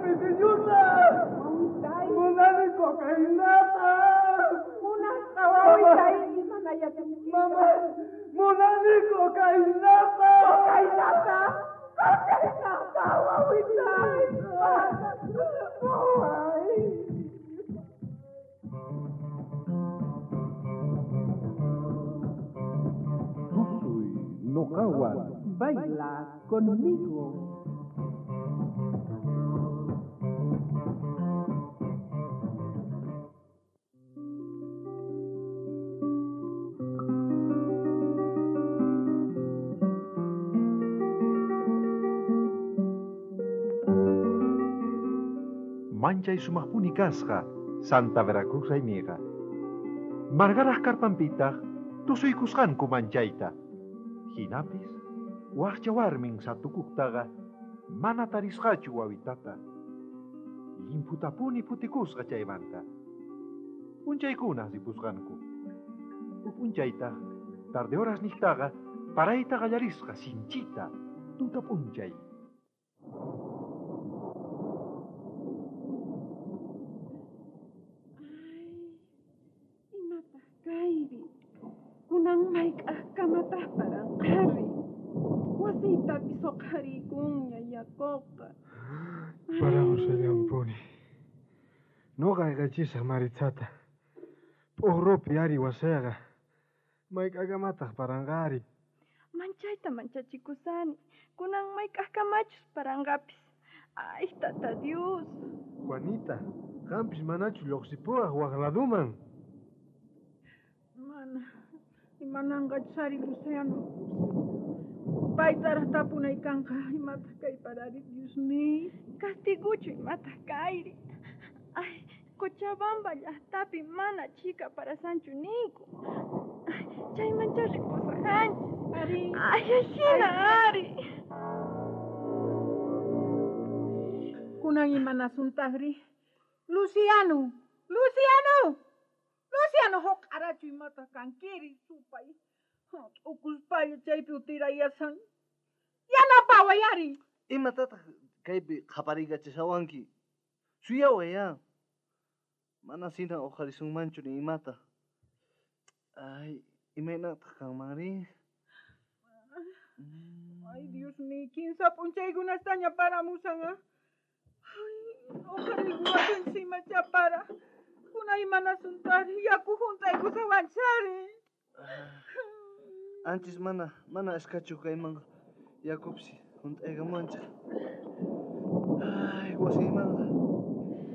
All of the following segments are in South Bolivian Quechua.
pisiñuta. Wawitay. Munani cocainata. Munasqa wawitay imanayachanki. Mamá, munani cocainata. Cocainata. Cocainata, wawitay. Ay. Tusuy noqawan. Baila conmigo. Manchay sumaqpuni kasqa Santa Veracruz raymiqa. Margaraj karpanpitaq tusuykusqanku manchayta. Hinapis waqcha warmin satukuqtaqa mana tarisqachu wawitata. Llimputapuni phutikusqa chaymanta. P'unchaykuna ripusqanku. Huk p'unchaytaq tarde horas niqtaqa parayta qallarisqa sinchita tuta p'unchay. Ay, imataq kayri? Kunan mayk'aqkamataq paranqari? Wasiytapis uqhariykunña yakuqa. Paramushallanpuni. Noqa ayqachisaq Maritzata. P'uqrupi ari wasiyqa. Mayk'aqkamataq paranqari. Manchayta manchachikusani. Kunan mayk'aqkamachus paranqapis. Ay, tata Dios. Juanita, qampis manachu lluqsipuwaq waq laduman. Mana, imananqachus ari Luciano. Paytaraq tapunay kanqa, imataq kay parari, Dios mío. Castiguchu imataq kayri. Ay, Cochabamba llaqtapi mana chhika parasanchu ninku. Ay, chaymancha ripusaqanchis. Ari. Ay, ajina ari. Kunan imanasuntaqri. Luciano, Luciano, Luciano huq'arachu imataq kankiri supay. T'ukuspalla chaypi utirayasan. Yanapaway ari. Imatataq kaypi qhaparikachashawanki? Suyaway ya. Mana sina uqharisunmanchu ni imata. Ay, imaynataq kanmanri? Ay, Dios mío, kinsa p'unchaykunastaña paramusan, ah. Ay, uqhariykuwasunchis imacha para. Kunay imanasuntari, yaku hunt'aykusawanchari. Anchis mana, mana ashkachu kaymanqa yakupis hunt'aykamuwanchik. Ay, wasiymanqa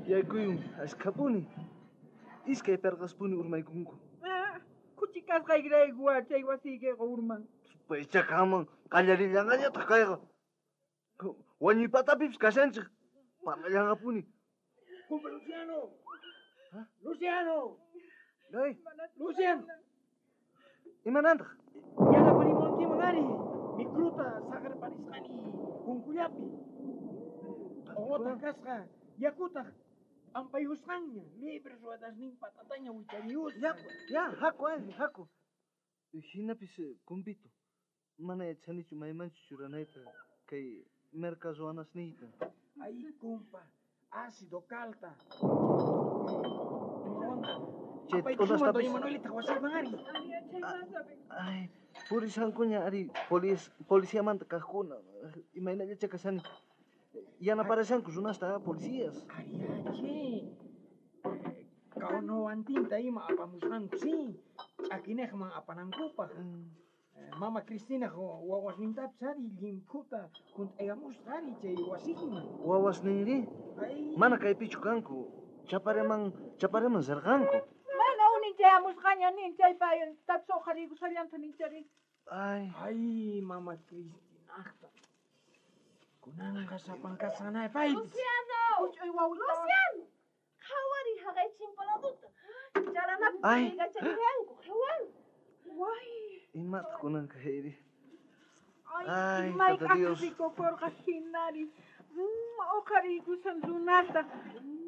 yaykuyun ashkhapuni. Iskay perqaspuni urmaykunku. Ah, khuchi kasqaykirayku chay wasiykiqa urman. Supaycha kanman qallarillanqañataq kayqa. Wañuypatapipis kashanchik. Parlallanqapuni. Kumpa Luciano. Luciano. Ay. Luciano. Imanantaq? Yanaparimunkiman ari. Mikruta saqerparisqani punkullapi. T'uqutaq kasqa, yakutaq p'ampayusqanña, libre ruedasnin patataña wichariyusqa. Ya, ya, haku ari, haku. Hinapis kumpito. Mana yachanichu maymanchu churanayta kay merka ruwanasniyta. Ay, kumpa, ácido kalta. Chay Apaykusuman t'unastapis- Doña Manuelita wasiyman ari. Ay, purisankuña ari policiamanta kaqkuna. Imaynallacha kashani. Yanaparashanku runasta policías. Ariache. Kaunowantinta ima apamusqanku, sí. Ch'akinejman apanankupaq. Mama Cristina wawasnintapis ari llimphuta hunt'aykamusqa ari chay wasinman. Wawasninri? Ay. Mana kaypichu kanku. Chapareman, chapareman sirqanku. Mana unin chayamusqaña nin chaypa tapis uqhariykusallanta ninchari. Ay. Ay, mama Cristinaqta. Kunanqa sapankasqanay paypis. Luciano! Huch'uy wawita. Luciano! Qhawariy haqay chimpaladuta. Charanapi Ay. puriykachariyanku, qhawari. Way. Imataq kunanqa Heidi? Ay, Ay, tata mayk'aqmi Dios. rikukurqa hinari. Uqhariykusan runasta.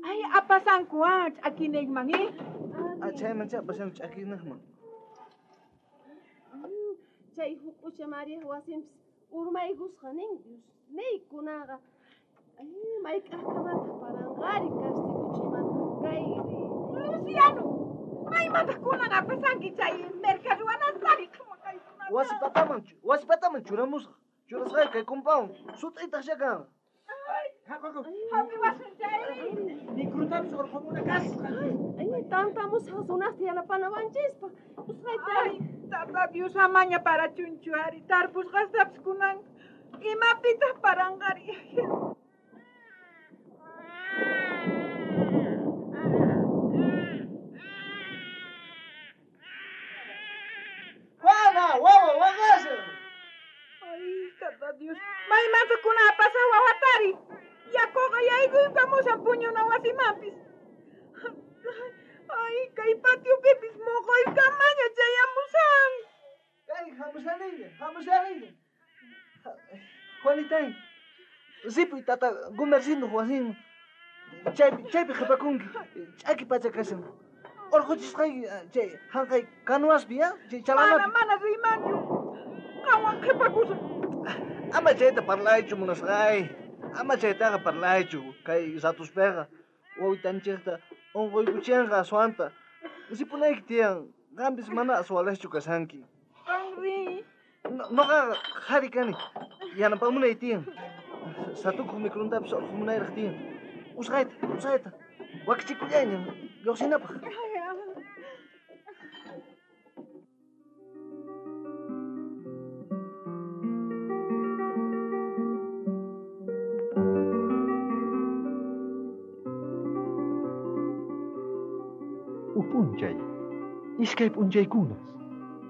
Ay, apasanku, ah, ch'akinejman, eh? Ah, chayman apasanku ch'akinejman. Chay huk'ucha María wasinpis urmaykusqa nin, Dios. Ney kunaqa. Ay, mayk'ajkamataq paranqari castiguchiymanta kayri. Luciano, maymataq kunan apasanki chay merca ruwanastari? Wasi pataman, wasi pataman churamusaq. Churasqay kay kumpawan sut'itaq kan. Hapiwasun chayri. Microtapis urqumuna kasqa. Ay, tantamusaq runasta yanapanawanchispaq. Usqhayta Ay, tata Dios amaña parachunchu ari, tarpusqastapis kunan imapitaq paranqari. Juana, wawa, waqashan. Ay, tata Dios, maymanta kunan apasaq wawatari. Yakuqa yaykuykamushan puñuna wasimanpis. Ay, kay patiopipis moqoykamaña chayamushan. Kay, hamushaniña, hamushaniña. Juanitay, ripuy tata Gumercindo wasinman. Chaypi, chaypi qhipakunki. Ch'aki pacha kashan. Urquchisqayki chay hanqay canoaspi, ya? Chay Mana, chalanapi. mana riymanchu. Qanwan qhipakusaq. Ama chayta parlaychu munasqay. Ama chaytaqa parlaychu. Kay ratuspiqa wawitanchikta unquykuchinqa aswanta. Ripunayki tiyan. Qampis mana aswalaqchu kashanki. Qan riy. Noqaqa qhari kani. Yanapamunay tiyan. Satukuq microntapis urqumunayraq tiyan. Usqhayta, usqhayta. Wakichikullayña lluqsinapaq. Uj p'unchay, iskay p'unchaykunas,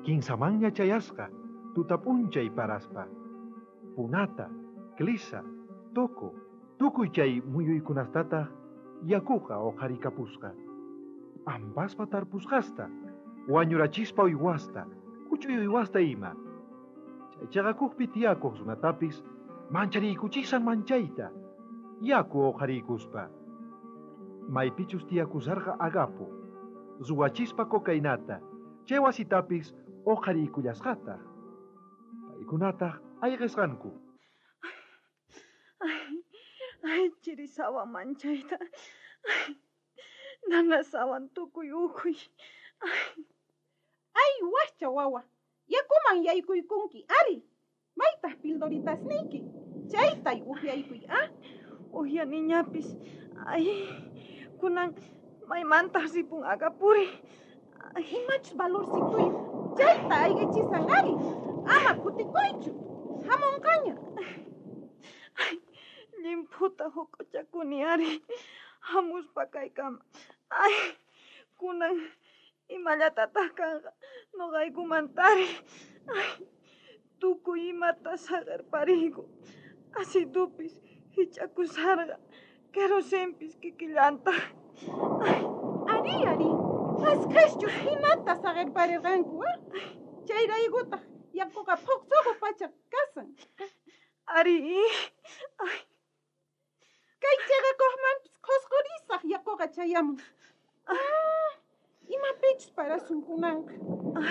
kinsamanña chayasqa, tuta p'unchay paraspa. Punata, Clisa, Toco, tukuy chay muyuykunastataq yakuqa uqharikapusqa. Ampaspa tarpusqasta, wañurachispa uywasta, huch'uy uywasta ima. Chay chaqakuqpi tiyakuq runatapis manchariykuchisan manchayta, yaku uqhariykuspa. Maypichus tiyakusarqa Agapo, ruwachispa cocainata, chay wasitapis uqhariykullasqataq. Paykunataq ayqisqanku. Ay, ay, chirisawan manchayta. Ay, nanasawan tukuy ukhuy. Ay, Ay, wakcha wawa, yakuman yaykuykunki ari. Maytaq pildoritasniyki. Chaytay upyaykuy, ah? uhyaniñapis. Ay, kunan maymantaq ripun Agapuri. Ay, Imachus valorcituyuq. Chayta ayqichisan ari. Ama kutikuychu. Hamunqaña. Ay, llimphuta huk'uchakuni ari. Hamuspa kaykama. Ay, kunan imallatataq kanqa noqaykumantari. Ay, tukuy imata saqerpariyku. Asitupis hich'akusarqa. Kerosenpis kikillantaq. Ay, Ari, ari. Mashkhachus hinata saqerparirqanku, ah? Chayraykutaq yakuqa phuqsuqu pacha kasan. Ari, ay, Kay chaqakuqmanpis qhusqurisaq yakuqa chayamun. Ah, imapichus parasun kunanqa.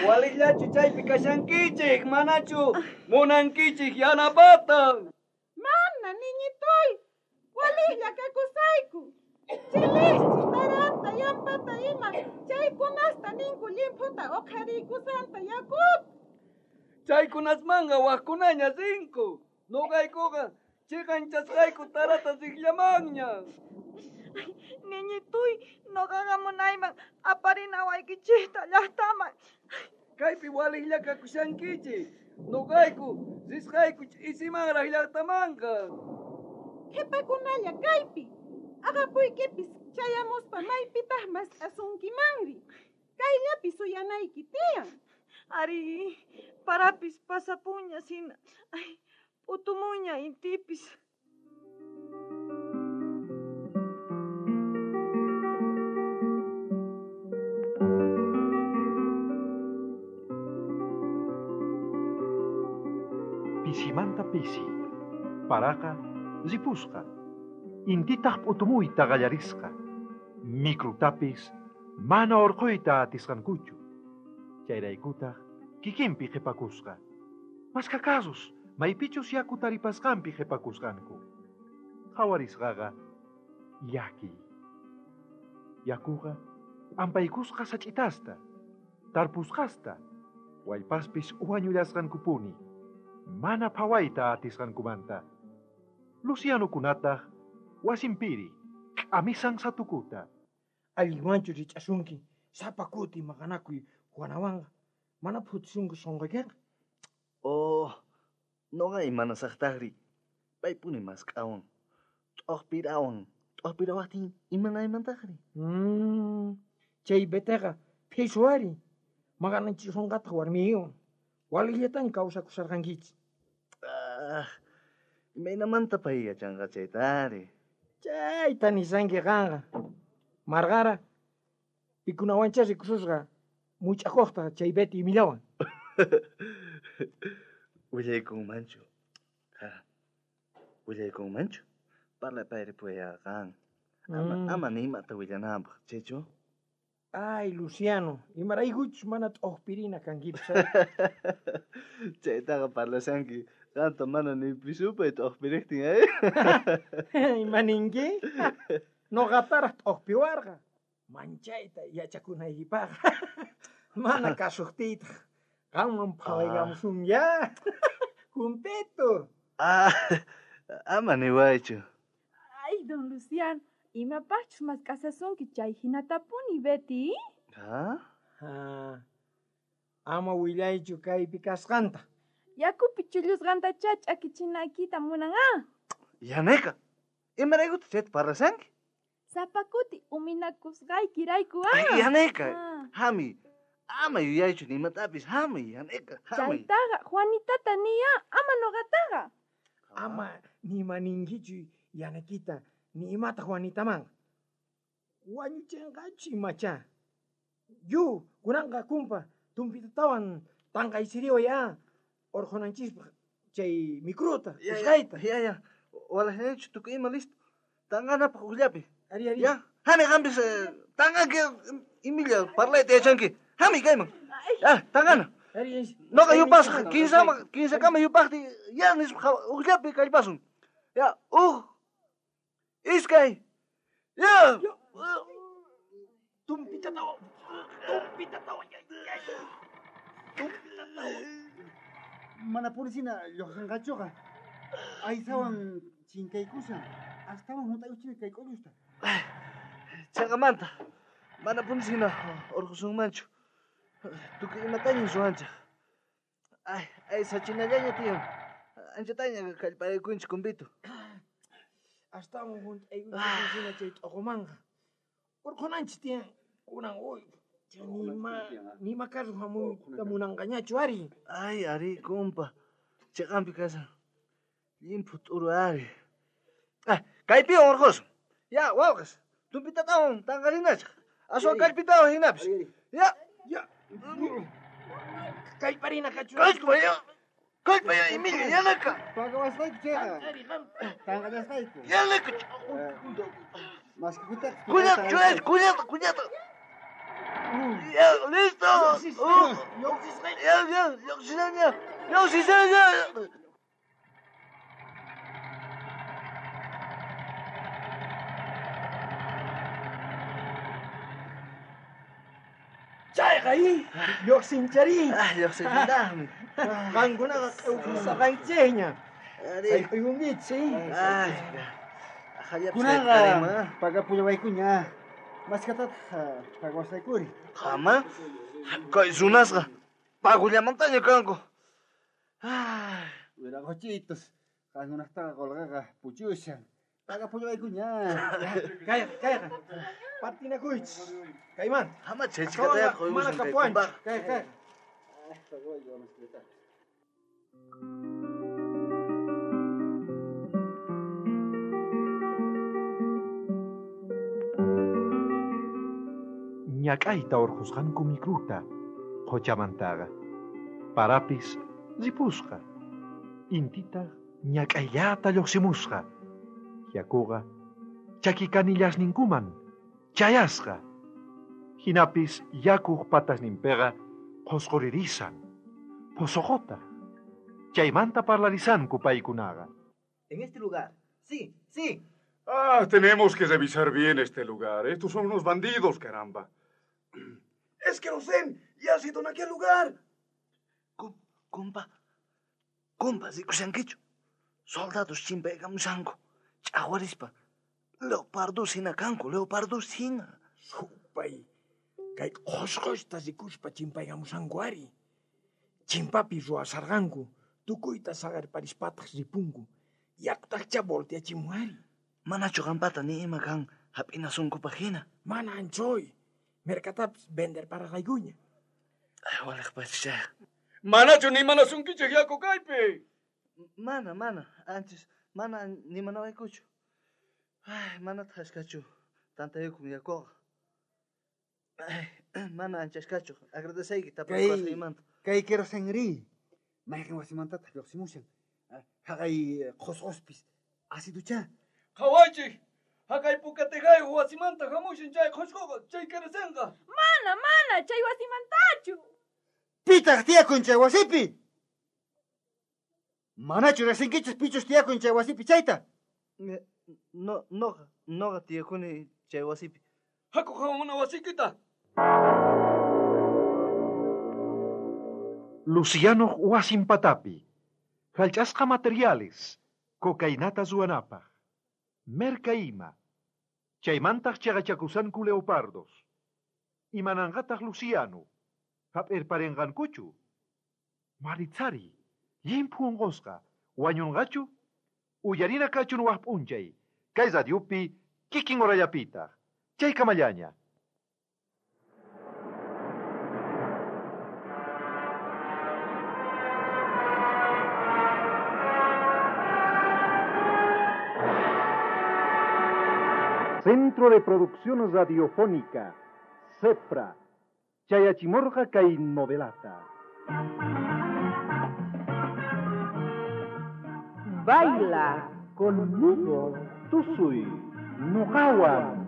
Walillachu chaypi kashankichik, manachu munankichik yanapata. Mana, niñitoy. Waliqlla kakusayku. Chilisti, taranta, yampata ima. Chaykunasta ninku llimphuta uqhariykusanta yakuta. Chaykunasmanqa waqkunaña rinku. Noqaykuqa chiqanchasqayku tarata riqllamanña. Niñituy, noqaqa munayman aparinawaykichikta llaqtaman. Kaypi waliqlla kakushankichik. Noqayku risqayku ch'isimanraq llaqtamanqa. Qhipakunalla kaypi. Agapuykipis chayamuspa maypitaq mask'asunkimanri. Kayllapi suyanayki tiyan. Ari, parapis pasapuña sina. Ay, p'utumuña intipis. Pisimanta pisi, paraqa ripusqa. Intitaq p'utumuyta qallarisqa. Microtapis mana urquyta atisqankuchu. Chayraykutaq kikinpi qhipakusqa. Mashkha casos maypichus yaku taripasqanpi qhipakusqanku. Qhawarisqaqa llakiy. Yakuqa p'ampaykusqa sach'itasta, tarpusqasta, wallpaspis wañullasqankupuni, mana phawayta atisqankumanta. Lucianokunataq wasinpiri k'amisan satukuta. Allinwanchu rich'asunki sapa kuti maqanakuy Juanawanqa mana phutisunki sunquykiqa. Oh, noqa imanasaqtaqri. Paypuni mask'awan. T'uqpirawan. T'uqpirawaqtin imanaymantaqri. Chay Beteqa phisu ari. Maqanachisunqataq warmiywan. Walillataña kawsakusharqankichis. Ah, imaynamanta pay yachanqa chaytari. Chayta nishanki qanqa. Marqara, pikunawanchá rikususqa much'akuqta chay Betty imillawan. Willaykunmanchu. Ha. Willaykunmanchu. Parlapayripuya qan. Ama ni imata willananpaq, chaychu? Ay, Luciano, imaraykuchus mana t'uqpirina kankipis. Chaytaqa parlashanki qanta mana ni pisupay t'uqpiriqtin, eh? Ima ninki? Noqataraq t'uqpiwarqa. Manchayta yachakunaykipaqqa. Mana kasuqtiytaq qanman phawaykamusun ya. Kumpeto. Ah, ama niwaychu. Ay, don Luciano, imapaqchus mask'asasunki chay hinatapuni, Betty? Ah? Ah, ama willaychu kaypi kasqanta. Yakupi chullusqantachá ch'akichinaykita munan, ah? Yaneka, imaraykutaq chayta parlashanki? Sapa kuti uminakusqaykirayku, ah? Yaneka, hami, ama yuyaychu nimatapis, hami, Yaneka, hami. Chaytaqa Juanitata niya, ama noqataqa. Ama nima ninkichu Yanekita, ni imata Juanitaman. Wañuchinqachu imachá. Yu, kunanqa kumpa, tumpitatawan tanqaysiriway, ah, urqhunanchispaq chay micruta, usqhayta. Ya, ya, walajñachu tukuy ima listo. Tanqanapaq ujllapi. Ari, ari. Ya, hami qampis, tanqanki imilla parlayta yachanki. Hami kayman. Ya, tanqana. Ari, ari. Noqa yupasaq, kinsakama yupaqti, ya nispa ujllapi kallpasun. Ya, uj, iskay, ya. Tumpitatawan, tumpitatawan, ya, ya. Tumpitatawan. Mana purisina lluqsinqachuqa. Aysawan chinkaykushan. Astawan hunt'aykuchina kay k'ullusta. Chaqamanta, mana purisina urqusunmanchu. Tukuy imataña ruwanchik. Ay, ay, sachinallaña tiyan. Anchataña kallpaykunchik kumpito. Astawan hunt'aykuchina chay t'uqumanqa. Urqunanchis tiyan. Kunan uy, nima carro hamuyta munanqañachu ari. Ay, ari, kumpa. Chiqampi kashan. Llimphu t'uru ari. Ah, kaypiwan urqusun. Ya, wawqis. Tumpitatawan tanqarinachik. Aswan kallpitawan hinapis. Ya. Ya. Kallparina kachu. Kallpaya. Kallpaya, Emilia, yanaka. Pagawasqayku chayqa. Tanqallasqayku. Yanaka. Maskikutaq. Cuidado, cuidado, cuidado, cuidado. Ya, listo. Ya, ya, lluqsishaña. Lluqsishaña. Chayqa, i, lluqsinchari. Ah, lluqsinchitaqmi. Qankunaqa q'ewkusaqanchikña. Sayk'uykunkichis, Ay, Kunanqa pagapullawaykuña. Maskatataq pagawasqaykuri. Qama, kay runasqa pagullamantaña kanku. Wiraqochitos, qankunaqtaqa qolqaqa puchushan. Pagapullawaykuña. Kayqa, kayqa. Partinakuychis. Kaymanta. Ama chaychikataya Mana quykusun kapuwanchik. Kay, kay. Ñak'ayta urqhusqanku micruta qhuchamantaqa. Parapis ripusqa. Intitaq ñak'ayllata lluqsimusqa. Yakuqa chakikanillasninkuman chayasqa. Hinapis yakuq patasninpiqa qhusquririsan, phosoqota. Chaymanta parlarisanku paykunaqa. En este lugar Sí, sí. Ah, tenemos que revisar bien este lugar. Estos son unos bandidos, caramba. Es que ven y ha sido en aquel lugar. Kumpa, kumpa, rikushankichu. Soldados chimpaykamushanku. Ch'aqwarispa. Leopardos hina kanku, leopardos hina. Supay, kay qhosqosta rikuspa chimpaykamushanku ari. Chimpapi ruwasarqanku, tukuyta saqerparispataq ripunku. Yakutaqcha volteachimun ari. Manachu qampata ni ima kan hap'inasunkupaq hina. Mana anchoy. Merkatapis venderparqaykuña. Ay, waliq pachichay. Manachu nimanasunkichej yaku kaypi. Mana, mana, antes mana nimanawaykuchu. Ay, manataq ashkachu tantayukun yakuqa. Ay, mana anchashkachu. Agradeceyki tapuykuwasqaymanta. Kay kerosenri, mayqin wasimantataq lluqsimushan. Haqay qhusqospis asiduchá. Qhawaychik, haqay pukatejayuq wasimanta hamushan chay qhusqoqa, chay kerosenqa. Mana, mana, chay wasimantachu. Pitaq tiyakun chay wasipi? Manachu riqsinkichis pichus tiyakun chay wasipi chayta? No, noqa, noqa tiyakuni chay wasipi. Haku qhawamuna wasiykita. Luciano wasin patapi. Jallch'asqa materiales, cocainata ruwanapaq. Merka ima. Chaymantaq chaqachakusanku leopardos. Imananqataq Luciano. Hap'irparinqankuchu. Maritzari, llimphu unqusqa, wañunqachu? Uyarina kachun waj p'unchay. Kay radiopi kikin horallapitaq. Chaykamallaña. Centro de Producción Radiofónica, CEPRA, Chayachimorga kay novelata. Baila conmigo, tusuy, noqawan.